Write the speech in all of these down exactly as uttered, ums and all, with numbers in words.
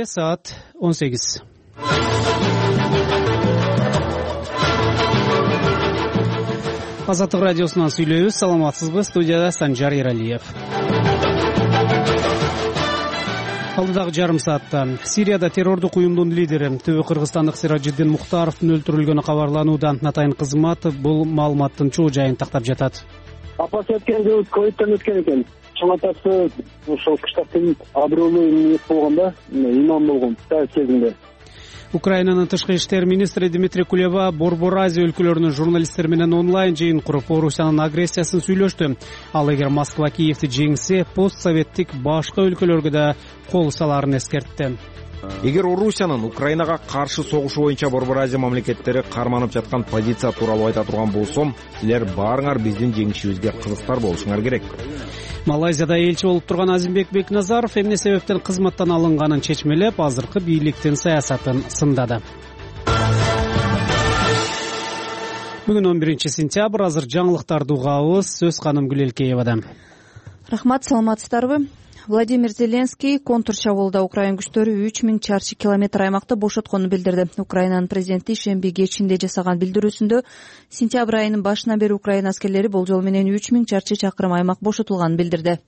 Саат он сегиз. Азаттык радиосунан сүйлөйбүз. Саламатсызбы? Студияда Санжар Эралиев. Алдыдагы жарым саатта Сирияда террордук уюмдун лидери Түбү кыргызстандык Сиражиддин Мухтаровдун өлтүрүлгөнү кабарланууда. Атайын кызмат бул маалыматтын чоо жайын тактап жатат. Апасы өткөн жыл ковидтен өткөн экен. Чоң атасы ошол кыштактын абройлуу эмес болгондо, имам болгон кезинде. Украинанын тышкы иштер министри Дмитрий Кулеба Борбор Азия өлкөлөрүнүн журналисттери менен онлайн жыйын куруп, Орусиянын агрессиясын сүйлөштү. Ал эгер Москва Киевди жеңсе, постсоветтик башка өлкөлөргө да кол салаарын эскертти. Эгер Орусиянын Украинага каршы согушу боюнча Борбор Азия мамлекеттери карманып жаткан позиция тууралуу айта турган болсом, силер баарыңар биздин жеңишибизге кызыктар болушуңар керек. Малайзияда элчи болуп турган Азимбек Бекназаров эмне себептен кызматтан алынганын чечмелеп, азыркы бийликтин саясатын сындады. Бүгүн он биринчи сентябрь, азыр жаңылыктарды угабыз. Сөз Ханым Гүлелкеевада. Рахмат, саламатсыздарбы? Владимир Зеленский контур чабуулда Украин күчтөрү үч миң чарчы километр аймакты бошотконун билдирди. Украинанын президенти ишемби кечинде жасаган билдирүүсүндө сентябрь айынын башынан бери Украина аскерлери болжол менен үч миң чарчы чакырым аймак бошотулганын билдирди.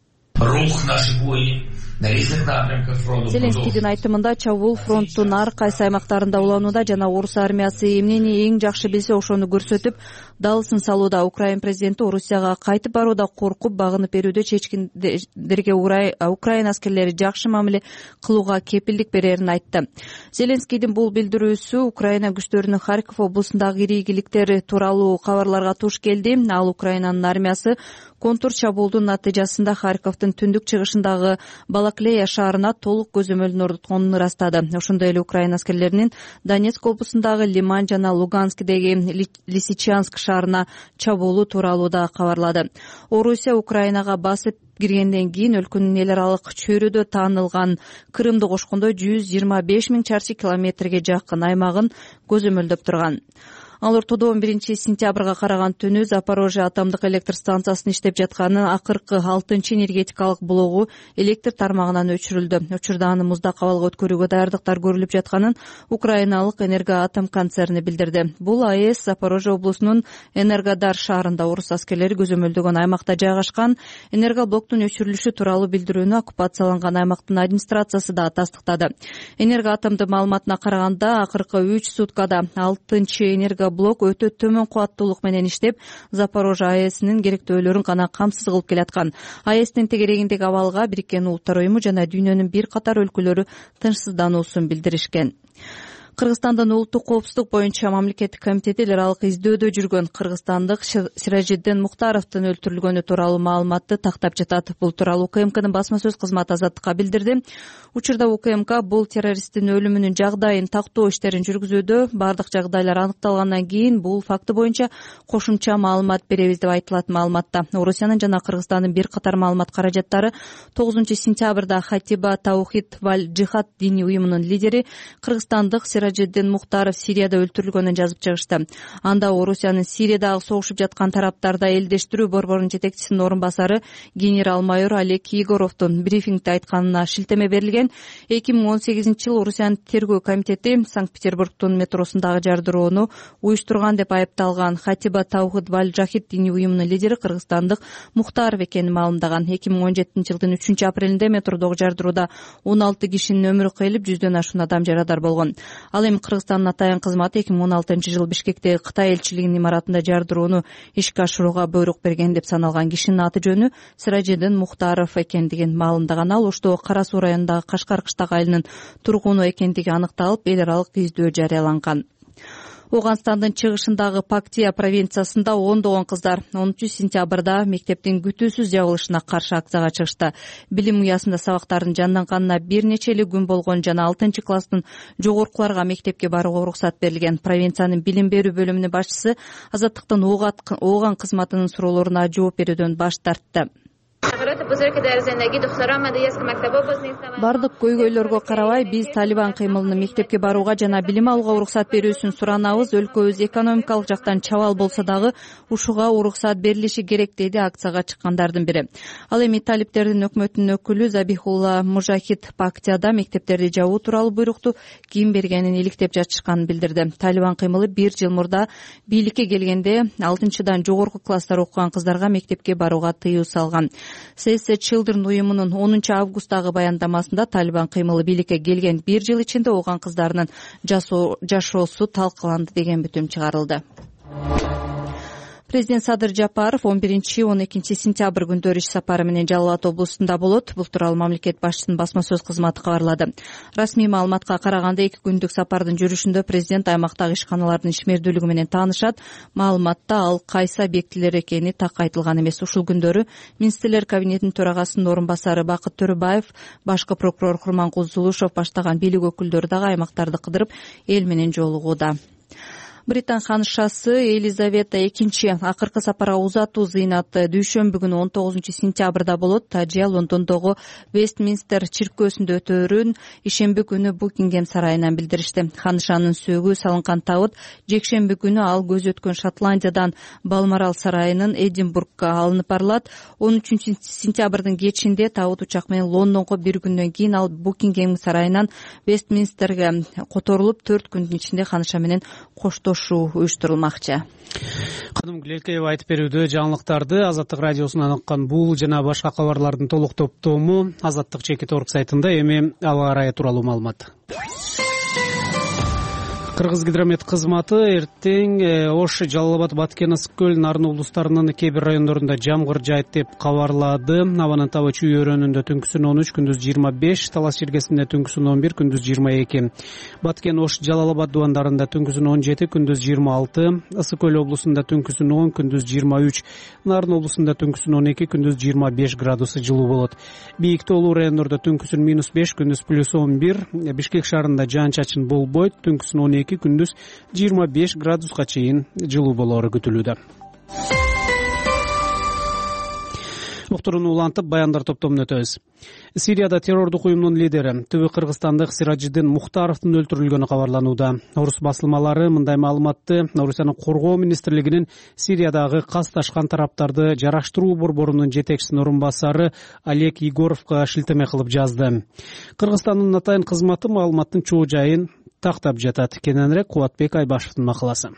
Зеленскийдин айтымында чабуул фронттун ар кайсы аймактарында уланууда жана орус армиясы эмнени эң жакшы билсе ошону көрсөтүп, далысын салууда. Украин президенти Орусияга кайтып барууда коркуп багынып берүүдө чечкиндерге Украин аскерлери жакшы мамиле кылууга кепилдик берерин айтты. Зеленскийдин бул билдирүүсү Украина күчтөрүнүн Харьков облусундагы ири ийгиликтер тууралуу кабарларга туш келди. Ал Украинанын армиясы контур чабуулдун натыйжасында Харьковдун түндүк чыгышындагы Балаклея шаарына толук көзөмөлдүн орнотконун ырастады. Ошондой эле Украина аскерлеринин Донецк облусундагы Лиман жана Луганскдеги Лисичанск шаарына чабуулу тууралуу да кабарлады. Орусия Украинага басып киргенден кийин өлкөнүн эл аралык чөйрөдө таанылган Крымды кошкондо жүз жыйырма беш миң чарчы километрге жакын аймагын көзөмөлдөп турган. Ал ортодо он биринчи сентябрга караган түнү Запорожье атомдук электр станциясынын иштеп жатканын акыркы алтынчы энергетикалык блогу электр тармагынан өчүрүлдү. Учурда аны муздак абалга өткөрүүгө даярдыктар көрүлүп жатканын Украиналык Энергоатом концерни билдирди. Бул АЭС Запорожье облусунун Энергодар шаарында орус аскерлери көзөмөлдөгөн аймакта жайгашкан. Энергоблоктун өчүрүлүшү тууралуу билдирүүнү оккупацияланган аймактын администрациясы да тастыктады. Энергоатомдун маалыматына караганда, акыркы үч суткада алтынчы энерго блок өтө төмөн кубаттуулук менен иштеп, Запорожье АЭСинин керектөөлөрүн гана камсыз кылып келаткан. АЭСтин тегерегиндеги абалга Бириккен Улуттар уюму жана дүйнөнүн бир катар өлкөлөрү тынчсыздануусун билдиришкен. Кыргызстандын улуттук коопсуздук боюнча мамлекеттик комитети эл аралык издөөдө жүргөн кыргызстандык Сиражиддин Мухтаровдун өлтүрүлгөнү тууралуу маалыматты тактап жатат. Бул тууралуу УКМКнын басма сөз кызматы Азаттыкка билдирди. Учурда УКМК бул террористтин өлүмүнүн жагдайын тактоо иштерин жүргүзүүдө. Бардык жагдайлар аныкталгандан кийин бул факты боюнча кошумча маалымат беребиз деп айтылат маалыматта. Орусиянын жана Кыргызстандын бир катар маалымат каражаттары тогузунчу сентябрда Хатиба Таухид валь Джихад диний уюмунун лидери кыргызстандык Сиражиддин Мухтаров Сирияда өлтүрүлгөнүн жазып чыгышты. Анда Орусиянын Сириядагы согушуп жаткан тараптарда элдештирүү борборунун жетекчисинин орун басары генерал-майор Олег Егоровдун брифингде айтканына шилтеме берилген. эки миң он сегизинчи жылы Орусиянын тергөө комитети Санкт-Петербургдун метросундагы жардыроону уюштурган деп айыпталган Хатиба Таухид валь Джихад диний уюмунун лидери кыргызстандык Мухтаров экенин маалымдаган. эки миң он жетинчи жылдын үчүнчү апрелинде метродогу жардыроодо он алты кишинин өмүрү кыйылып, жүздөн ашуун адам жарадар болгон. Ал эми Кыргызстандын атайын кызматы эки миң он алтынчы жылы Бишкектеги Кытай элчилигинин имаратында жардыроону ишке ашырууга буйрук берген деп саналган кишинин аты жөнү Сиражиддин Мухтаров экендигин маалымдаган. Ал Оштогу Кара Суу районундагы Кашкар кыштак айылынын тургуну экендиги аныкталып, эл аралык издөө жарыяланган. Оганстандын чыгышындагы Пактия провинциясында ондогон кыздар онунчу сентябрда мектептин күтүүсүз жабылышына каршы акцияга чыгышты. Билим уясында сабактардын жанданганына бир нече эле күн болгон жана алтынчы класстын жогоркуларга мектепке барууга уруксат берилген. Провинциянын билим берүү бөлүмүнүн башчысы Азаттыктын ооган кызматынын суроолоруна жооп берүүдөн баш тартты. Бардык көйгөйлөргө карабай биз Талибан кыймылынын мектепке барууга жана билим алууга уруксат берүүсүн суранабыз. Өлкөбүз экономикалык жактан чабал болсо дагы ушуга уруксат берилиши керек, деди акцияга чыккандардын бири. Ал эми талиптердин өкмөтүнүн өкүлү Забихулла Мужахид Пактияда мектептерди жабуу тууралуу буйрукту ким бергенин иликтеп жатышканын билдирди. Талибан кыймылы бир жыл мурда бийликке келгенде алтынчыдан жогорку класстар окуган кыздарга мектепке барууга тыюу салган. Save the Children уюмунун онунчу августтагы баяндамасында Талибан кыймылы бийликке келген бир жыл ичинде ооган кыздарынын жашоосу талкаланды деген бүтүм чыгарылды. Президент Садыр Жапаров он биринчи он экинчи сентябрь күндөрү иш сапары менен Жалал Абад облусунда болот. Бул тууралуу мамлекет башчысынын басма сөз кызматы кабарлады. Расмий маалыматка караганда эки күндүк сапардын жүрүшүндө президент аймактагы ишканалардын ишмердүүлүгү менен таанышат. Маалыматта ал кайсы объектилер экени так айтылган эмес. Ушул күндөрү министрлер кабинетинин төрагасынын орун басары Бакыт Төрөбаев, башкы прокурор Курманкул Зулушев баштаган бийлик өкүлдөрү дагы аймактарды кыдырып эл менен жолугууда. Британ ханышасы Елизавета экинчи акыркы сапарга узатуу зыйнаты дүйшөмбү күнү он тогузунчу сентябрда болот. Тажия Лондондогу Вестминстер чиркөөсүндө өтөөрүн ишемби күнү Букингем сарайынан билдиришти. Ханышанын сөөгү салынган табыт жекшемби күнү ал көз өткөн Шотландиядан Балморал сарайынын Эдинбургга алынып барылат. он үчүнчү сентябрдын кечинде табыт учак менен Лондонго, бир күндөн кийин ал Букингем сарайынан Вестминстерге которулуп, төрт күндүн ичинде ханыша менен коштош уюштурулмакчы. Кадым Глелкеева айтып берүүдө жаңылыктарды Азаттык радиосунан уккан бул жана башка кабарлардын толук топтому Азаттык чекит орг сайтында. Эми аба ырайы тууралуу маалымат. Кыргыз гидромет кызматы эртең Ош, Жалал Абад, Баткен, Ысык көл, Нарын облустарынын кээ бир райондорунда жамгыр жаайт деп кабарлады. Абанын табы Чүй өрөөнүндө түнкүсүн он үч, күндүз жыйырма беш, Талас жергесинде түнкүсүн он бир, күндүз жыйырма эки. Баткен, Ош, Жалал Абад дубандарында түнкүсүн он жети, күндүз жыйырма алты, Ысык көл облусунда түнкүсүн он, күндүз жыйырма үч, Нарын облусунда түнкүсүн он эки, күндүз жыйырма беш градусы жылуу болот. Бийик тоолуу райондордо түнкүсүн минус беш, күндүз плюс он бир, Бишкек шаарында жаан чачын болбойт, түнкүсүн он эки, күндүз жыйырма беш градуска чейин жылуу болоору күтүлүүдө. Уктурууну улантып, баяндар топтомун өтөбүз. Сирияда террордук уюмдун лидери Түбү кыргызстандык Сиражиддин Мухтаровдун өлтүрүлгөнү кабарланууда. Орус басылмалары мындай маалыматты Орусиянын коргоо министрлигинин Сириядагы касташкан тараптарды жараштыруу борборунун жетекчисинин орун басары Олег Егоровго шилтеме кылып жазды. Кыргызстандын атайын кызматы маалыматтын чоо жайын тактап жатат. Кененирээк Кубатбек Айбашевдин макаласы.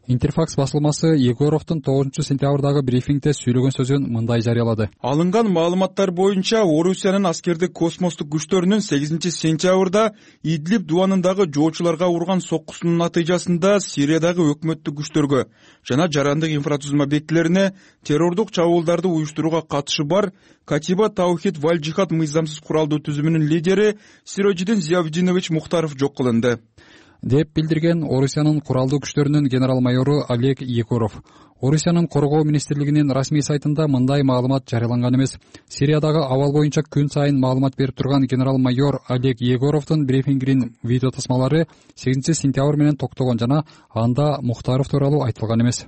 Интерфакс басылмасы Егоровдун тогузунчу сентябрдагы брифингде сүйлөгөн сөзүн мындай жарыялады. Алынган маалыматтар боюнча Орусиянын аскердик космостук күчтөрүнүн сегизинчи сентябрда Идлиб дубанындагы жоочуларга урган соккусунун натыйжасында Сириядагы өкмөттүк күчтөргө жана жарандык инфратузулма объектилерине террордук чабуулдарды уюштурууга катышы бар Катиба Таухид Валь Джихад мыйзамсыз куралдуу түзүмүнүн лидери Сиражиддин Зиявдинович Мухтаров жок кылынды деп билдирген Орусиянын куралдуу күчтөрүнүн генерал-майору Олег Егоров. Орусиянын коргоо министрлигинин расмий сайтында мындай маалымат жарыяланган эмес. Сириядагы абал боюнча күн сайын маалымат берип турган генерал-майор Олег Егоровдун брифингинин видео тасмалары сегизинчи сентябрь менен токтогон жана анда Мухтаров тууралуу айтылган эмес.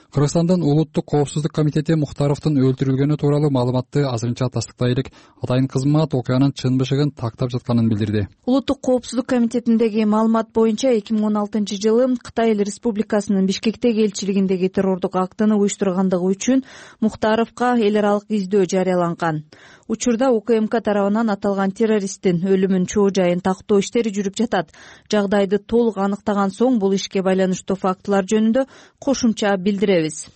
Кыргызстандын улуттук коопсуздук комитети Мухтаровдун өлтүрүлгөнү тууралуу маалыматты азырынча тастыктай элек. Атайын кызмат окуянын чын бышыгын тактап жатканын билдирди. Улуттук коопсуздук комитетиндеги маалымат боюнча эки миң он алтынчы жылы Кытай Эл Республикасынын Бишкектеги элчилигиндеги террордук актыны уюштургандыгы үчүн Мухтаровго эл аралык издөө жарыяланган. Учурда УКМК тарабынан аталган террористтин өлүмүн чоо жайын тактоо иштери жүрүп жатат. Жагдайды толук аныктаган соң бул ишке байланыштуу фактылар жөнүндө кошумча билдиребиз,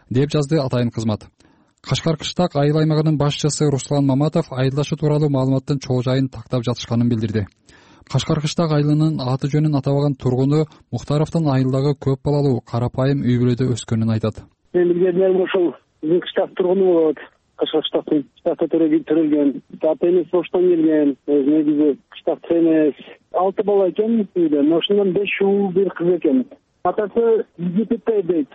деп жазды атайын кызмат. Кашкар кыштак айыл аймагынын башчысы Руслан Маматов айылдашы тууралуу маалыматтын чоо жайын тактап жатышканын билдирди. Кашкар кыштак айылынын аты жөнүн атабаган тургуну Мухтаровдун айылдагы көп балалуу карапайым үй бүлөдө өскөнүн айтат. Мен билгендерим ошол кыштак тургуну болот. Кашкар кыштактын кыштакта төрөлгөн, ата энеси оштон келген, негизи кыштакчы эмес. Алты бала экен үйдө, ошондон беш ул, бир кыз экен. Атасы Египетте дейт,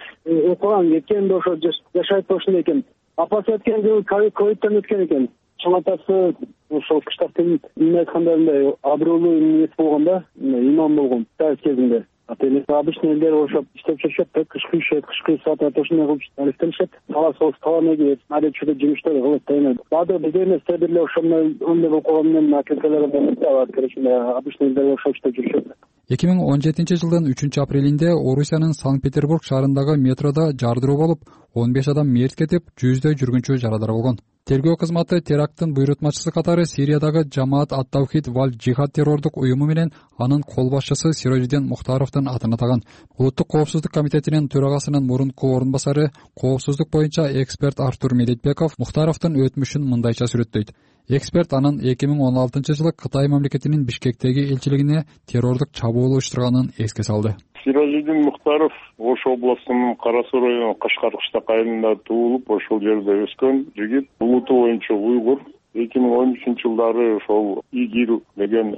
окуган кеткен, ошо жашайт ошондо экен. Апасы өткөн жылы ковидтен өткөн экен. Чоң атасы ошол кыштактын эмне айткандарындай абройлуу эмес болгон да, имам болгон дайыс кезинде. Атели обычный элдер ошоп иштеп жүрүшөт да, кышкы ишет, кышкы саатта ошондой кылып алектенишет. Талаа соос талаа эгет, алечүдө жумуштар кылып атат. Баады биз эмес деле ошондой ондай болуп калган менен акелкалар бар, короче, обычный элдер ошоп иштеп жүрүшөт. эки миң он жетинчи жылдын үчүнчү апрелинде Орусиянын Санкт-Петербург шаарындагы метродо жардыруу болуп, он беш адам мерт кетип, жүздөй жүргүнчү жарадар болгон. Тергөө кызматы теракттын буйрутмачысы катары Сириядагы Жамаат ат-Тавхид валь Джихад террордук уюму менен анын кол башчысы Сирожиддин Мухтаровдун атын атаган. Улуттук коопсуздук комитетинин төрагасынын мурунку орун басары, коопсуздук боюнча эксперт Артур Медетбеков Мухтаровдун өтмүшүн мындайча сүрөттөйт. Эксперт анын эки миң он алтынчы жылы Кытай мамлекетинин Бишкектеги элчилигине террордук чабуул уюштурганын эске салды. Сирожиддин Мухтаров Ош областынын Кара Суу району Кашкар кыштак айылында туулуп, ошол жерде өскөн жигит. Улуту боюнча уйгур. эки миң он үчүнчү жылдары ошол ИГИЛ деген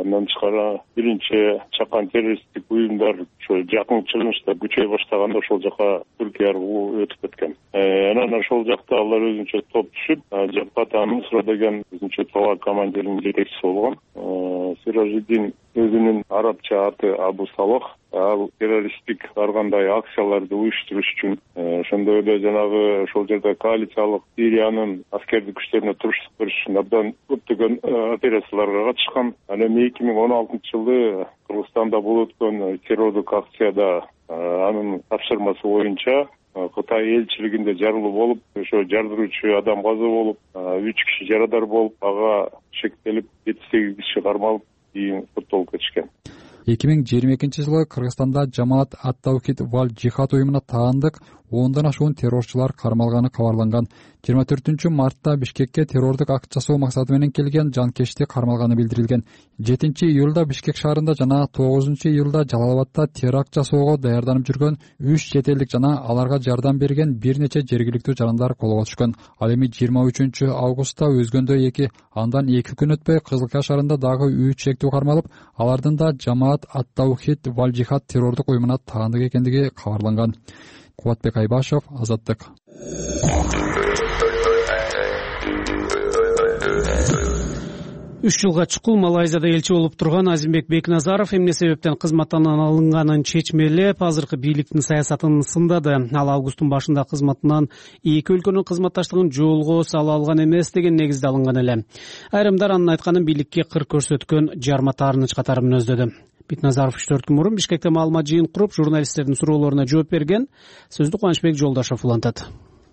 мындан тышкары биринчи чакан террористтик уюмдар ошо жакын чыгышта күчөй баштаганда ошол жака Түркия аркылуу өтүп кеткен. Анан ошол жакта алар өзүнчө топ түшүп, Жапата Нусра деген өзүнчө талаа командиринин жетекчиси болгон. Сирожиддин өзүнүн арабча аты Абу Салах. Ал террористтик ар кандай акцияларды уюштуруш үчүн ошондой эле жанагы ошол жерде коалициялык Сириянын аскердик күчтөрүнө туруштук бериш үчүн абдан көптөгөн операцияларга катышкан. Анан эки миң он алтынчы жылы Кыргызстанда болуп өткөн террордук акцияда анын тапшырмасы боюнча Кытай элчилигинде жарылуу болуп, ошо жардыруучу адам каза болуп, үч киши жарадар болуп, ага шектелип, жети сегиз киши кармалып, кийин соттолуп кетишкен. эки миң жыйырма экинчи жылы Кыргызстанда Жамаат ат-Тавхид валь Джихад уюмуна таандык ондон ашуун террорчулар кармалганы кабарланган. жыйырма төртүнчү мартта Бишкекке террордук акт жасоо максаты менен келген жанкечти кармалганы билдирилген. жетинчи июлда Бишкек шаарында жана тогузунчу июлда Жалал-Абадта теракт жасоого даярданып жүргөн үч чет элдик жана аларга жардам берген бир нече жергиликтүү жарандар колго түшкөн. Ал эми жыйырма үчүнчү августта өзгөндө эки, андан эки күн өтпөй Кызылкая шаарында дагы үч шектүү кармалып, алардын да Жамаат ат-Тавхид валь Джихад террордук уюмуна таандык экендиги кабарланган. Кубатбек Айбашев, Азаттык. үч жылга чукул Малайзияда элчи болуп турган Азимбек Бекназаров эмне себептен кызматтан алынганын чечмелеп, азыркы бийликтин саясатын сындады. Ал августтун башында кызматынан эки өлкөнүн кызматташтыгын жолго сала алган эмес деген негизде алынган эле. Айрымдар анын айтканын бийликке кыр көрсөткөн жарма таарыныч катары мүнөздөдү. Бекназаров үч төрт күн мурун Бишкекте маалымат жыйын куруп, журналисттердин суроолоруна жооп берген. Сөздү Кубанычбек Жолдошов улантат.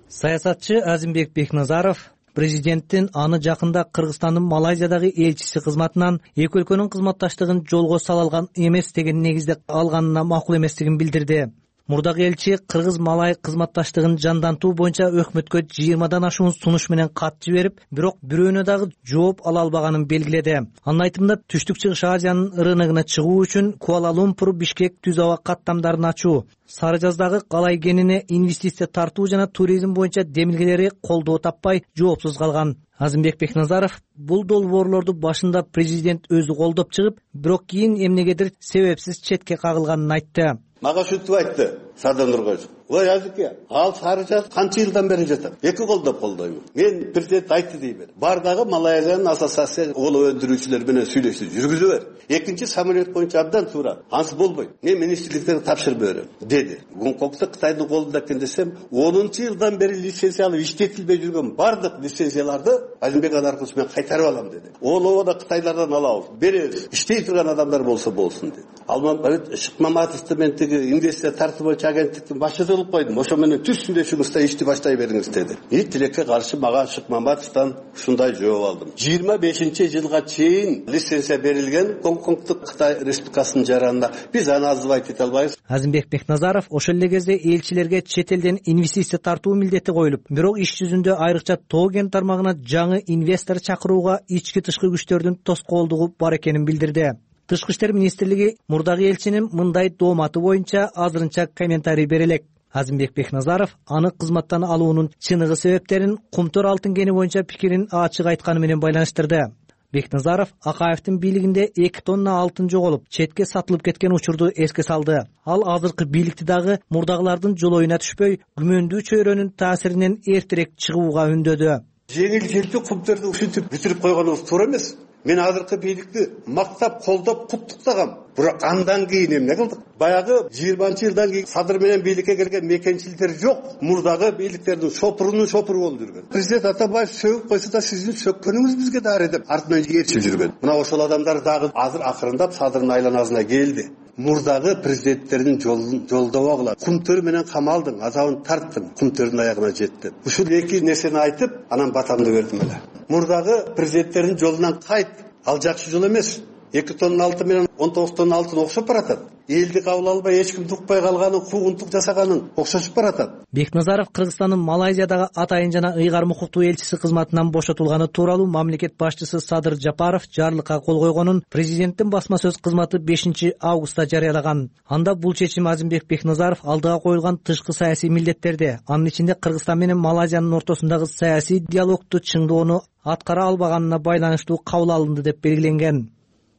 Саясатчы Азимбек Бекназаров президенттин аны жакында Кыргызстандын Малайзиядагы элчиси кызматынан эки өлкөнүн кызматташтыгын жолго сала алган эмес деген негизде алганына макул эместигин билдирди. Мурдагы элчи Кыргыз-Малай кызматташтыгын жандантуу боюнча өкмөткө жыйырмадан ашуун сунуш менен кат жиберип, бирок бирөөнө дагы жооп ала албаганын белгиледи. Анын айтымында Түштүк Чыгыш Азиянын рыногуна чыгуу үчүн Куала-Лумпур, Бишкек түз аба каттамдарын ачуу, Сары Жаздагы Калай кенине инвестиция тартуу жана туризм боюнча демилгелери колдоо таппай жоопсуз калган. Азимбек Бекназаров бул долбоорлорду башында президент өзү колдоп чыгып, бирок кийин эмнегедир себепсиз четке кагылганын айтты. Мага ушинтип айтты Сардан Нургоев. Ой Азике, ал Сары Жаз канча жылдан бери жатат? Эки колдоп колдойм. Мен президент айтты дейбер. Бардагы Малайзиянын ассоциация ол өндүрүүчүлөр менен сүйлөшүп жүргүзүп бер. Экинчи самолет боюнча абдан туура. Ансыз болбойт. Мен министрликтерге тапшырып берем деди. Гонконгдо Кытайдын колунда экен десем, онунчу жылдан бери лицензия алып иштетилбей жүргөн бардык лицензияларды Азимбек аркылуу мен кайтарып алам деди. Ол да Кытайлардан алабыз, беребиз. Иштей турган адамдар болсо болсун деди. Алмамбет Шыкмаматовду мен тиги инвестиция тартуу боюнча агенттиктин башчысы кылып койдум. Ошо менен түз сүйлөшүңүз да ишти баштай бериңиз деди. И тилекке каршы мага Шыкмаматовдон ушундай жооп алдым. жыйырма бешинчи жылга чейин лицензия берилген Гонконгдук Кытай Республикасынын жаранына биз аны азбайт эте албайбыз. Азимбек Бекназаров ошол эле кезде элчилерге чет элден инвестиция тартуу милдети коюлуп, бирок иш жүзүндө айрыкча тоо кен тармагына жаңы инвестор чакырууга ички тышкы күчтөрдүн тоскоолдугу бар экенин билдирди. Тышкы иштер министрлиги мурдагы элчинин мындай дооматы боюнча азырынча комментарий бере элек. Азимбек Бекназаров аны кызматтан алуунун чыныгы себептерин Кумтөр алтын кени боюнча пикирин ачык айтканы менен байланыштырды. Бекназаров Акаевдин бийлигинде эки тонна алтын жоголуп, четке сатылып кеткен учурду эске салды. Ал азыркы бийликти дагы мурдагылардын жолоюна түшпөй, күмөндүү чөйрөнүн таасиринен эртерээк чыгууга үндөдү. Жеңил желпи Кумтөрдү ушинтип бүтүрүп койгонубуз туура эмес. мен азыркы бийликти мактап колдоп куттуктагам. Бирок андан кийин эмне кылдык? Баягы жыйырманчы жылдан кийин Садыр менен бийликке келген мекенчилдер жок. Мурдагы бийликтердин шопурунун шопуру болуп жүргөн. Президент Атамбаев сөгүп койсо да сиздин сөккөнүңүз бизге дары деп артынан ээрчип жүргөн. Мына ошол адамдар дагы азыр акырындап Садырдын айланасына келди. Мурдагы президенттердин жолдобогула Кумтөр менен камалдың, азабын тарттым, Кумтөрдүн аягына жетти. Ушул эки нерсени айтып, анан батамды бердим эле. Мурдагы президенттердин жолунан кайт. Ал жакшы жол эмес. эки тонна алтын менен он тогуз тонна алтын окшоп баратат. Элди кабыл албай эч кимди укпай калганын, куугунтук жасаганын окшошуп баратат. Бекназаров Кыргызстандын Малайзиядагы атайын жана ыйгарым укуктуу элчиси кызматынан бошотулганы тууралуу мамлекет башчысы Садыр Жапаров жарлыкка кол койгонун президенттин басма сөз кызматы бешинчи августта жарыялаган. Анда бул чечим Азимбек Бекназаров алдыга коюлган тышкы саясий милдеттерди, анын ичинде Кыргызстан менен Малайзиянын ортосундагы саясий диалогду чыңдоону аткара албаганына байланыштуу кабыл алынды деп белгиленген.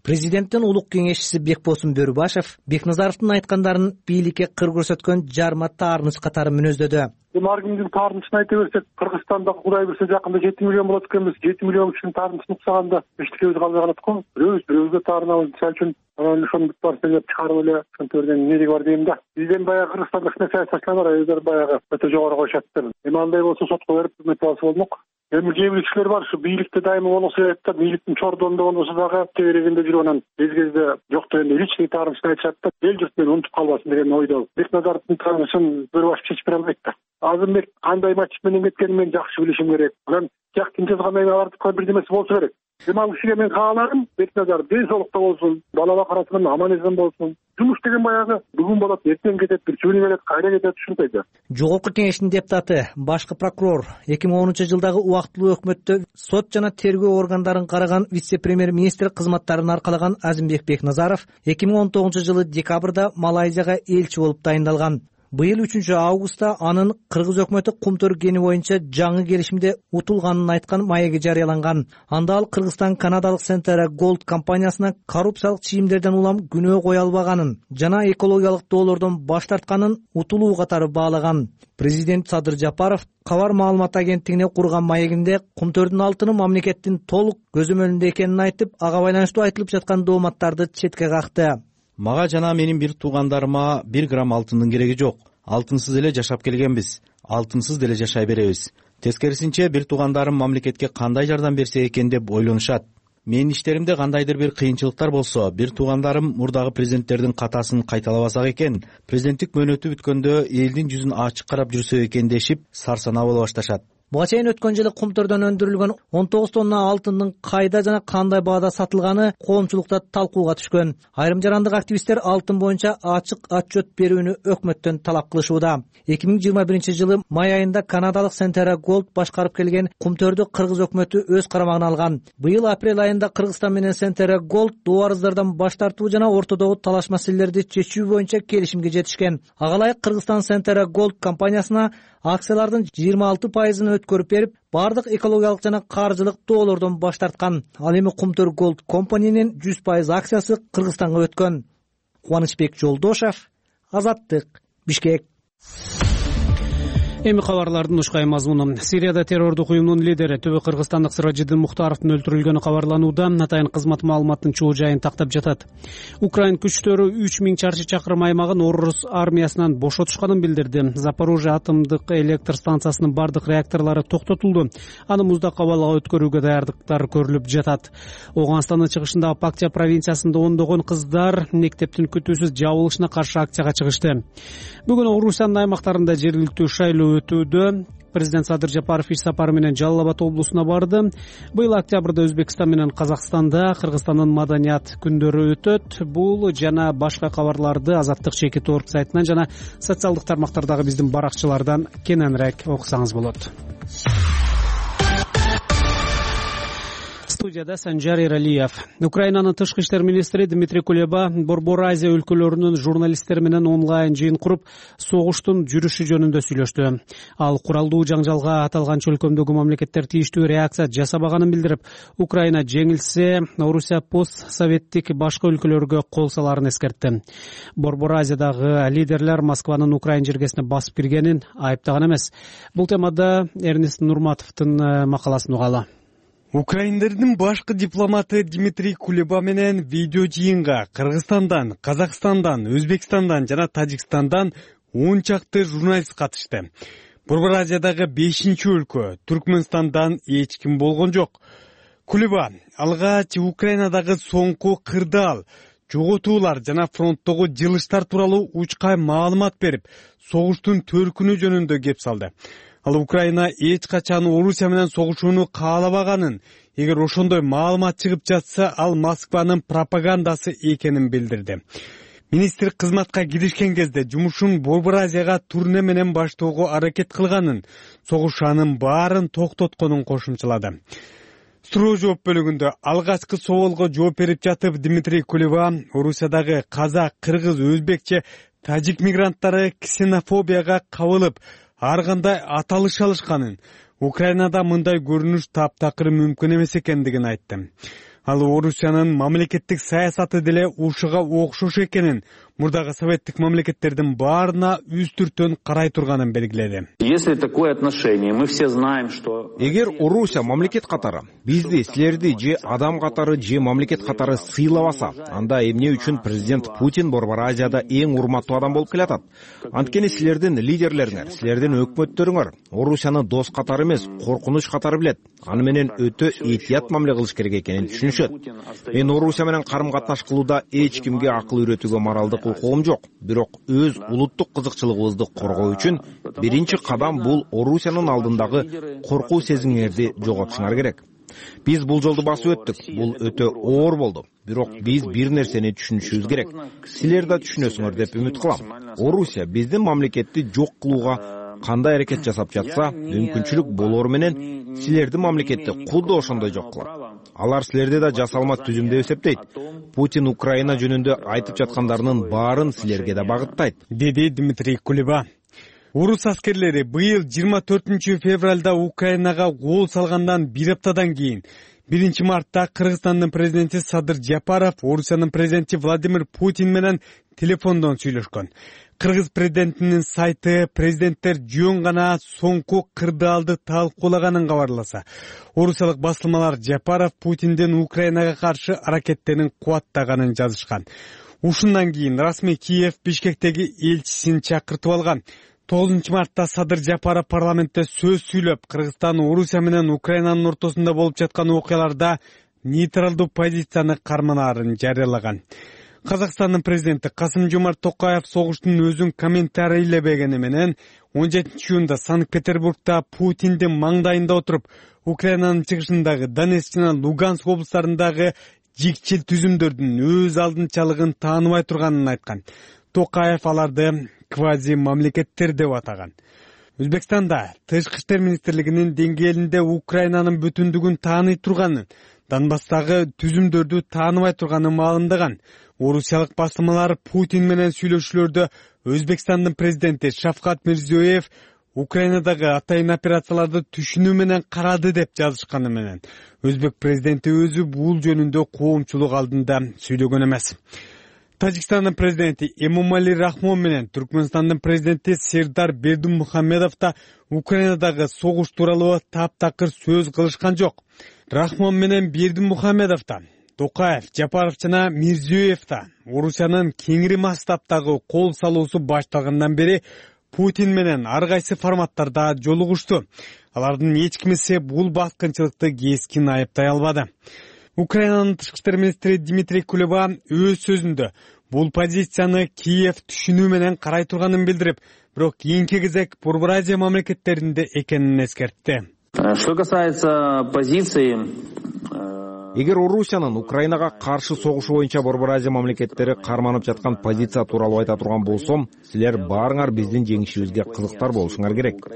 Президенттин улук кеңешчиси Бекбосун Бөрүбашев Бекназаровдун айткандарын бийликке кыр көрсөткөн жарма таарыныч катары мүнөздөдү. Эми ар кимдин таарынычын айта берсек, Кыргызстанда Кудай берсе жакында жети миллион болот экенбиз. жети миллион кишинин таарынычын уксаганда эчтекебиз калбай калат го. Бирөөбүз бирөөбүзгө таарынабыз. Мисалы үчүн анан ошону бүт барсын деп чыгарып эле ошонтордон эмнеги бар дейм да. Бизден баягы Кыргызстанда кичине саясатчылар бар, өздөрү баягы өтө жогору коюшат. Эми андай болсо сотко берип өмөтүп алса болмок. Эми кээ бир кишилер бар, ушу бийликте дайыма болсо айтат да, бийликтин чордонунда болбосо дагы тегерегинде жүрүп анан кез кезде жок дегенде личный таарынычын айтышат да, эл журт менен унутуп калбасын деген ойдо. Бекназаровдун таарынычын Бөрүбашев чечип бере албайт да. Азырбек кандай мотив менен кеткенин мен жакшы билишим керек. Анан тияктын жазгандан кийин алардыкы бирдемеси болсо керек. Эми ал кишиге мен кааларым, Бекназаров ден соолукта болсун, бала бакырасынан аман эсен болсун. Жумуш деген баягы бүгүн болот, эртең кетет, бир чүгүнү келет, кайра кетет, ушундай да. Жогорку кеңештин депутаты, башкы прокурор эки миң онунчу жылдагы убактылуу өкмөттө сот жана тергөө органдарын караган вице-премьер-министр кызматтарын аркалаган Азимбек Бекназаров эки миң он тогузунчу жылы декабрда Малайзияга элчи болуп дайындалган. Быйыл үчүнчү августта анын кыргыз өкмөтү Кумтөр кени боюнча жаңы келишимде утулганын айткан маеги жарыяланган. Анда ал Кыргызстан канадалык Centera Gold компаниясына коррупциялык чийимдерден улам күнөө кое албаганын жана экологиялык доолордон баш тартканын утулуу катары баалаган. Президент Садыр Жапаров Кабар маалымат агенттигине курган маегинде Кумтөрдүн алтыны мамлекеттин толук көзөмөлүндө экенин айтып, ага байланыштуу айтылып жаткан дооматтарды четке какты. Мага жана менин бир туугандарыма бир грамм алтындын кереги жок. Алтынсыз эле жашап келгенбиз. Алтынсыз деле жашай беребиз. Тескерисинче бир туугандарым мамлекетке кандай жардам берсе экен деп ойлонушат. Менин иштеримде кандайдыр бир кыйынчылыктар болсо, бир туугандарым мурдагы президенттердин катасын кайталабасак экен, президенттик мөөнөтү бүткөндө элдин жүзүн ачык карап жүрсө экен дешип сарсанаа боло башташат. Буга чейин өткөн жылы Кумтөрдөн өндүрүлгөн он тогуз тонна алтындын кайда жана кандай баада сатылганы коомчулукта талкууга түшкөн. Айрым жарандык активисттер алтын боюнча ачык отчет берүүнү өкмөттөн талап кылышууда. эки миң жыйырма биринчи жылы май айында канадалык Centera Gold башкарып келген Кумтөрдү кыргыз өкмөтү өз карамагына алган. Быйыл апрель айында Кыргызстан менен Centera Gold доо арыздардан баш тартуу жана ортодогу талаш маселелерди чечүү боюнча келишимге жетишкен. Ага ылайык Кыргызстан Centera Gold компаниясына акциялардын жыйырма алты пайызын өткөрүп берип, бардык экологиялык жана каржылык доолордон баш тарткан. Ал эми Кумтөр Gold компаниянын жүз пайыз акциясы Кыргызстанга өткөн. Кубанычбек Жолдошев, Азаттык, Бишкек. Эми кабарлардын ушкай мазмуну. Сирияда террордук уюмдун лидери Түбү кыргызстандык Сыражиддин Мухтаровдун өлтүрүлгөнү кабарланууда. Атайын кызмат маалыматтын чоо жайын тактап жатат. Украин күчтөрү үч миң чарчы чакырым аймагын орус армиясынан бошотушканын билдирди. Запорожье атомдук электр станциясынын бардык реакторлору токтотулду. Аны муздак абалга өткөрүүгө даярдыктар көрүлүп жатат. Ооганстандын чыгышындагы Пактия провинциясында ондогон кыздар мектептин күтүүсүз жабылышына каршы акцияга чыгышты. Бүгүн Орусиянын аймактарында жергиликтүү шайлоо өтүүдө. Президент Садыр Жапаров иш сапары менен Жалал Абад облусуна барды. Быйыл октябрда Өзбекстан менен Казакстанда Кыргызстандын маданият күндөрү өтөт. Бул жана башка кабарларды Азаттык чекит орг сайтынан жана социалдык тармактардагы биздин баракчалардан кененирээк окусаңыз болот. Студияда Санжар Эралиев. Украинанын тышкы иштер министри Дмитрий Кулеба Борбор Азия өлкөлөрүнүн журналисттери менен онлайн жыйын куруп, согуштун жүрүшү жөнүндө сүйлөштү. Ал куралдуу жаңжалга аталган чөлкөмдөгү мамлекеттер тийиштүү реакция жасабаганын билдирип, Украина жеңилсе, Орусия постсоветтик башка өлкөлөргө кол саларын эскертти. Борбор Азиядагы лидерлер Москванын Украин жергесине басып киргенин айыптаган эмес. Бул темада Эрнест Нурматовдун макаласын угалы. Украиндардын башкы дипломаты Дмитрий Кулеба менен видео жыйынга Кыргызстандан, Казакстандан, Өзбекстандан жана Тажикстандан он чакты журналист катышты. Борбор Азиядагы бешинчи өлкө Түркмөнстандан эч ким болгон жок. Кулеба алгач Украинадагы соңку кырдаал, жоготуулар жана фронттогу жылыштар тууралуу учкай маалымат берип, согуштун төркүнү жөнүндө кеп салды. Ал Украина эч качан Орусия менен согушууну каалабаганын, эгер ошондой маалымат чыгып жатса, ал Москванын пропагандасы экенин билдирди. Министр кызматка киришкен кезде жумушун Борбор Азияга турне менен баштоого аракет кылганын, согуш анын баарын токтотконун кошумчалады. Суроо жооп бөлүгүндө алгачкы соолго жооп берип жатып Дмитрий Кулеба Орусиядагы казак, кыргыз, өзбекче, тажик мигранттары ксенофобияга кабылып, ар кандай аталыш алышканын, Украинада мындай көрүнүш таптакыр мүмкүн эмес экендигин айтты. Ал Орусиянын мамлекеттик саясаты деле ушуга окшош экенин, мурдагы советтик мамлекеттердин баарына үстүртөн карай турганын белгиледи. Если такое отношение, мы все знаем, что эгер Орусия мамлекет катары бизди, силерди же адам катары же мамлекет катары сыйлабаса, анда эмне үчүн президент Путин Борбор Азияда эң урматтуу адам болуп келатат? Анткени силердин лидерлериңер, силердин өкмөттөрүңөр Орусияны дос катары эмес, коркунуч катары билет. Аны менен өтө этият мамиле кылыш керек экенин түшүнүшөт. Мен Орусия менен карым-катнаш кылууда эч кимге акыл үйрөтүүгө моралдык укугум жок. Бирок өз улуттук кызыкчылыгыбызды коргоо үчүн биринчи кадам бул Орусиянын алдындагы коркуу сезимиңерди жоготушуңар керек. Биз бул жолду басып өттүк. Бул өтө оор болду. Бирок биз бир нерсени түшүнүшүбүз керек. Силер да түшүнөсүңөр деп үмүт кылам. Орусия биздин мамлекетти жок кылууга кандай аракет жасап жатса, мүмкүнчүлүк болор менен силердин мамлекетти кудду ошондой жок кылат. Алар силерди да жасалма түзүм деп эсептейт. Путин Украина жөнүндө айтып жаткандарынын баарын силерге да багыттайт, деди Дмитрий Кулеба. Орус аскерлери быйыл жыйырма төртүнчү февралда Украинага кол салгандан бир аптадан кийин биринчи мартта Кыргызстандын президенти Садыр Жапаров Орусиянын президенти Владимир Путин менен телефондон сүйлөшкөн. Кыргыз президентинин сайты президенттер жөн гана соңку кырдаалды талкуулаганын кабарласа, орусиялык басылмалар Жапаров Путиндин Украинага каршы аракеттерин кубаттаганын жазышкан. Ушундан кийин расмий Киев Бишкектеги элчисин чакыртып алган. тогузунчу мартта Садыр Жапаров парламентте сөз сүйлөп, Кыргызстан Орусия менен Украинанын ортосунда болуп жаткан окуяларда нейтралдуу позицияны карманаарын жарыялаган. Казакстандын президенти Касым-Жомарт Токаев согуштун өзүн комментарийлебегени менен он жетинчи июнда Санкт-Петербургда Путиндин маңдайында отуруп, Украинанын чыгышындагы Донецк жана Луганск облустарындагы жикчил түзүмдөрдүн өз алдынчалыгын тааныбай турганын айткан. Токаев аларды квази мамлекеттер деп атаган. Өзбекстанда Тышкы иштер министрлигинин деңгээлинде Украинанын бүтүндүгүн тааный турганын, Донбасстагы түзүмдөрдү тааныбай турганын маалымдаган. Орусиялык басылмалар Путин менен сүйлөшүүлөрдө Өзбекстандын президенти Шавкат Мирзиёев Украинадагы атайын операцияларды түшүнүү менен карады деп жазышканы менен Өзбек президенти өзү бул жөнүндө коомчулук алдында сүйлөгөн эмес. Тажикстандын президенти Эмомали Рахмон менен Түркмөнстандын президенти Сердар Бердимухамедов да Украинадагы согуш тууралуу таптакыр сөз кылышкан жок. Рахмон менен Бердимухамедов да, Токаев, Жапаров жана Мирзиёев да Орусиянын кеңири масштабтагы кол салуусу башталгандан бери Путин менен ар кайсы форматтарда жолугушту. Алардын эч кимиси бул баскынчылыкты кескин айыптай албады. Украинанын тышкы иштер министри Дмитрий Кулеба өз сөзүндө бул позицияны Киев түшүнүү менен карай турганын билдирип, бирок кийинки кезек Борбор Азия мамлекеттеринде экенин эскертти. Что касается позиции, эгер Орусиянын Украинага каршы согушу боюнча Борбор Азия мамлекеттери карманып жаткан позиция тууралуу айта турган болсом, силер баарыңар биздин жеңишибизге кызыктар болушуңар керек.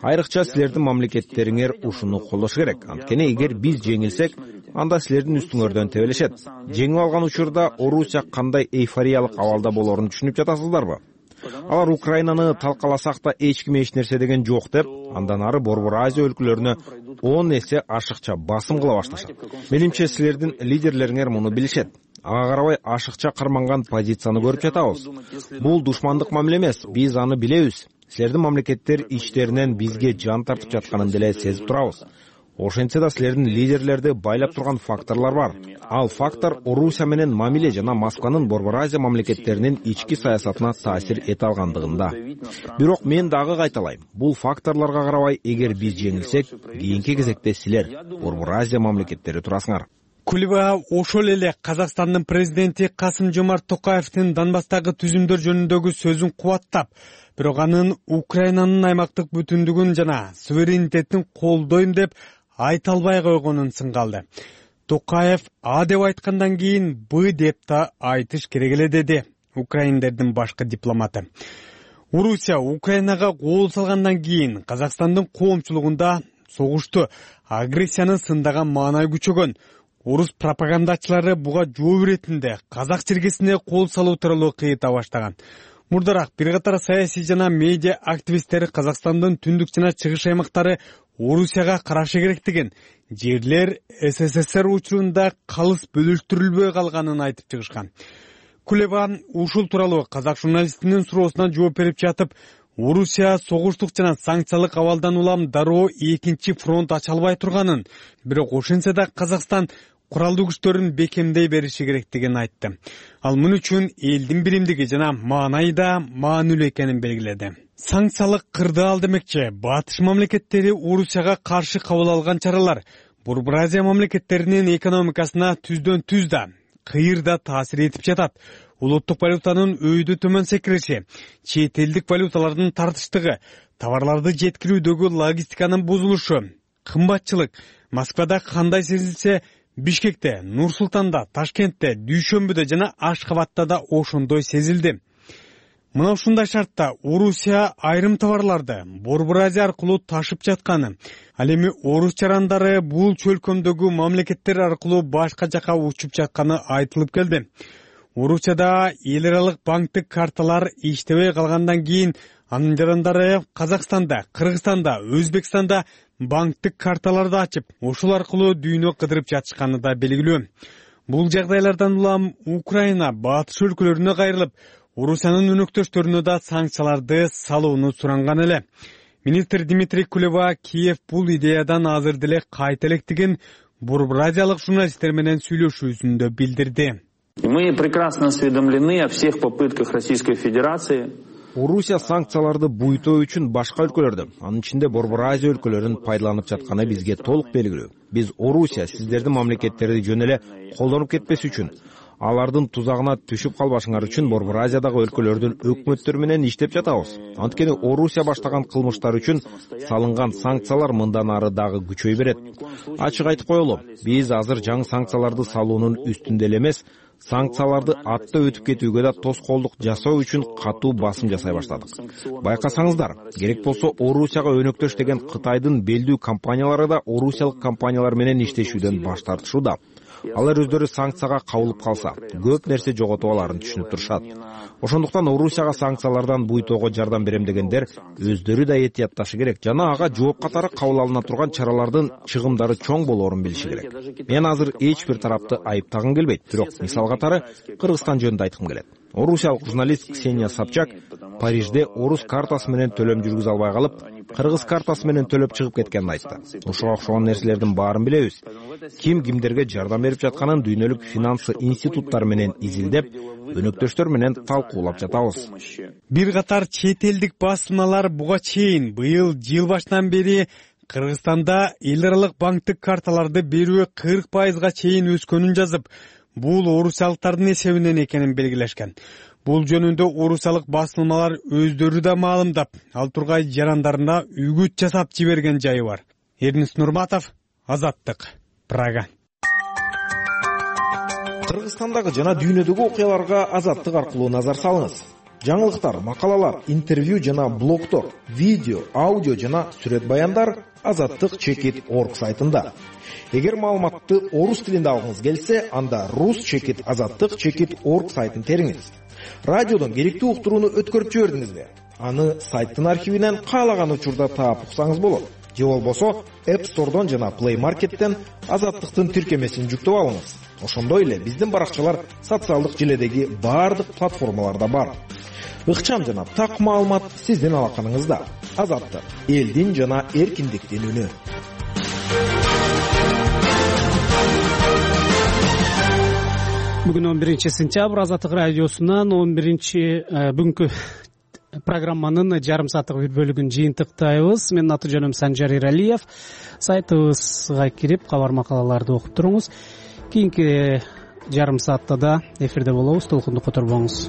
Айрыкча силердин мамлекеттериңер ушуну колдошу керек. Анткени эгер биз жеңилсек, анда силердин үстүңөрдөн тебелешет. Жеңип алган учурда Орусия кандай эйфориялык абалда болорун түшүнүп жатасыздарбы? Алар Украинаны талкаласак да эч ким эч нерсе деген жок деп, андан ары Борбор Азия өлкөлөрүнө он эсе ашыкча басым кыла башташат. Менимче силердин лидерлериңер муну билишет. Ага карабай ашыкча карманган позицияны көрүп жатабыз. Бул душмандык мамиле эмес, биз аны билебиз. Силердин мамлекеттер ичтеринен бизге жан тартып жатканын деле сезип турабыз. Ошентсе да силердин лидерлерди байлап турган факторлор бар. Ал фактор Орусия менен мамиле жана Москванын Борбор Азия мамлекеттеринин ички саясатына таасир эте алгандыгында. Бирок мен дагы кайталайм. Бул факторлорго карабай, эгер биз жеңилсек, кийинки кезекте силер Борбор Азия мамлекеттери турасыңар. Кулеба ошол эле Казакстандын президенти Касым-Жомарт Токаевдин Донбасстагы түзүмдөр жөнүндөгү сөзүн кубаттап, бирок анын Украинанын аймактык бүтүндүгүн жана суверенитетин колдойм деп айта албай койгонун сынга алды. Токаев А деп айткандан кийин Б деп да айтыш керек эле деди украиндердин башкы дипломаты. Орусия Украинага кол салгандан кийин Казакстандын коомчулугунда согушту, агрессияны сындаган маанай күчөгөн. Орус пропагандачылары буга жооп иретинде казак чиркесине кол салуу тууралуу кыйыта баштаган. Мурдараак бир катар саясий жана медиа активисттери Казакстандын түндүк жана чыгыш аймактары Орусияга карашы керектигин, жерлер СССР учурунда калыс бөлүштүрүлбөй калганын айтып чыгышкан. Кулеба ушул тууралуу казак журналистинин суроосуна жооп берип жатып, Орусия согуштук жана санкциялык абалдан улам дароо экинчи фронт ача албай турганын, бирок ошентсе да Казакстан куралдуу күчтөрүн бекемдей бериши керектигин айтты. Ал мун үчүн элдин биримдиги жана маанайы да маанилүү экенин белгиледи. Санкциялык кырдаал демекчи, батыш мамлекеттери Орусияга каршы кабыл алган чаралар Борбор Азия мамлекеттеринин экономикасына түздөн түз да, кыйыр да таасир этип жатат. Улуттук валютанын өйдө төмөн секириши, чет элдик валюталардын тартыштыгы, товарларды жеткирүүдөгү логистиканын бузулушу, кымбатчылык Москвада кандай сезилсе, Бишкекте, Нур-Султанда, Ташкентте, Дүйшөмбүдө жана Ашкабатта да ошондой сезилди. Мына ушундай шартта Орусия айрым товарларды Борбор Азия аркылуу ташып жатканы, ал эми орус жарандары бул чөлкөмдөгү мамлекеттер аркылуу башка жака учуп жатканы айтылып келди. Орусияда эл аралык банктык карталар иштебей калгандан кийин анын жарандары Казакстанда, Кыргызстанда, Өзбекстанда банктык карталарды ачып, ошол аркылуу дүйнө кыдырып жатышканы да белгилүү. Бул жагдайлардан улам Украина батыш өлкөлөрүнө кайрылып, Орусиянын өнөктөштөрүнө да санкцияларды салууну суранган эле. Министр Дмитрий Кулеба Киев бул идеядан азыр деле кайта электигин Борбор Азиялык журналисттер менен сүйлөшүүсүндө билдирди. Мы прекрасно осведомлены о всех попытках Российской Федерации. Орусия санкцияларды буйтоо үчүн башка өлкөлөрдө, анын ичинде Борбор Азия өлкөлөрүн пайдаланып жатканы бизге толук белгилүү. Биз Орусия сиздердин мамлекеттерди жөн эле колдонуп кетпес үчүн, алардын тузагына түшүп калбашыңар үчүн Борбор Азиядагы өлкөлөрдүн өкмөттөрү менен иштеп жатабыз. Анткени Орусия баштаган кылмыштар үчүн салынган санкциялар мындан ары дагы күчөй берет. Ачык айтып коелу, биз азыр жаңы санкцияларды салуунун үстүндө эле эмес, санкцияларды атта өтүп кетүүгө да тоскоолдук жасоо үчүн катуу басым жасай баштадык. Байкасаңыздар, керек болсо Орусияга өнөктөш деген Кытайдын белдүү компаниялары да орусиялык компаниялар менен иштешүүдөн баш тартышууда. Алар өздөрү санкцияга кабылып калса, көп нерсе жоготуп аларын түшүнүп турушат. Ошондуктан Орусияга санкциялардан буйтоого жардам берем дегендер өздөрү да этиятташы керек жана ага жооп катары кабыл алына турган чаралардын чыгымдары чоң болоорун билиши керек. Мен азыр эч бир тарапты айыптагым келбейт, бирок мисал катары Кыргызстан жөнүндө айткым келет. Орусиялык журналист Ксения Собчак Парижде орус картасы менен төлөм жүргүзө албай калып, кыргыз картасы менен төлөп чыгып кеткенин айтты. Ошого окшогон нерселердин баарын билебиз. Ким кимдерге жардам берип жатканын дүйнөлүк финансы институттары менен изилдеп, өнөктөштөр менен талкуулап жатабыз. Бир катар чет элдик басылмалар буга чейин быйыл жыл башынан бери Кыргызстанда эл аралык банктык карталарды берүү кырк пайызга чейин өскөнүн жазып, бул орусиялыктардын эсебинен экенин белгилешкен. Бул жөнүндө орусиялык басылмалар өздөрү да маалымдап, ал тургай жарандарына үгүт жасап жиберген жайы бар. Эрнис Нурматов, Азаттык, Прага. Кыргызстандагы жана дүйнөдөгү окуяларга Азаттык аркылуу назар салыңыз. Жаңылыктар, макалалар, интервью жана блогтор, видео, аудио жана сүрөт баяндар азаттык чекит точка орг сайтында. Эгер маалыматты орус тилинде алгыңыз келсе, анда рус чекит азаттык чекит точка орг сайтын териңиз. Радиодон керектүү уктурууну өткөрүп жибердиңизби? Аны сайттын архивинен каалаган учурда таап уксаңыз болот. Же болбосо App Store'дон жана Play Market'тен азаттыктын тиркемесин жүктөп алыңыз. Ошондой эле биздин баракчалар социалдык желедеги баардык платформаларда бар. Ыкчам жана так маалымат сиздин алаканыңызда. Азаттык, элдин жана эркиндиктин үнү. бүгүн он биринчи сентябрь Азаттык радиосунан он биринчи бүгүнкү программанын жарым сааттык бир бөлүгүн жыйынтыктайбыз. Менин аты жөнүм Санжар Иралиев. Сайтыбызга кирип кабар макалаларды окуп туруңуз. Кийинки жарым саатта да эфирде болобуз. Толкунду которбоңуз.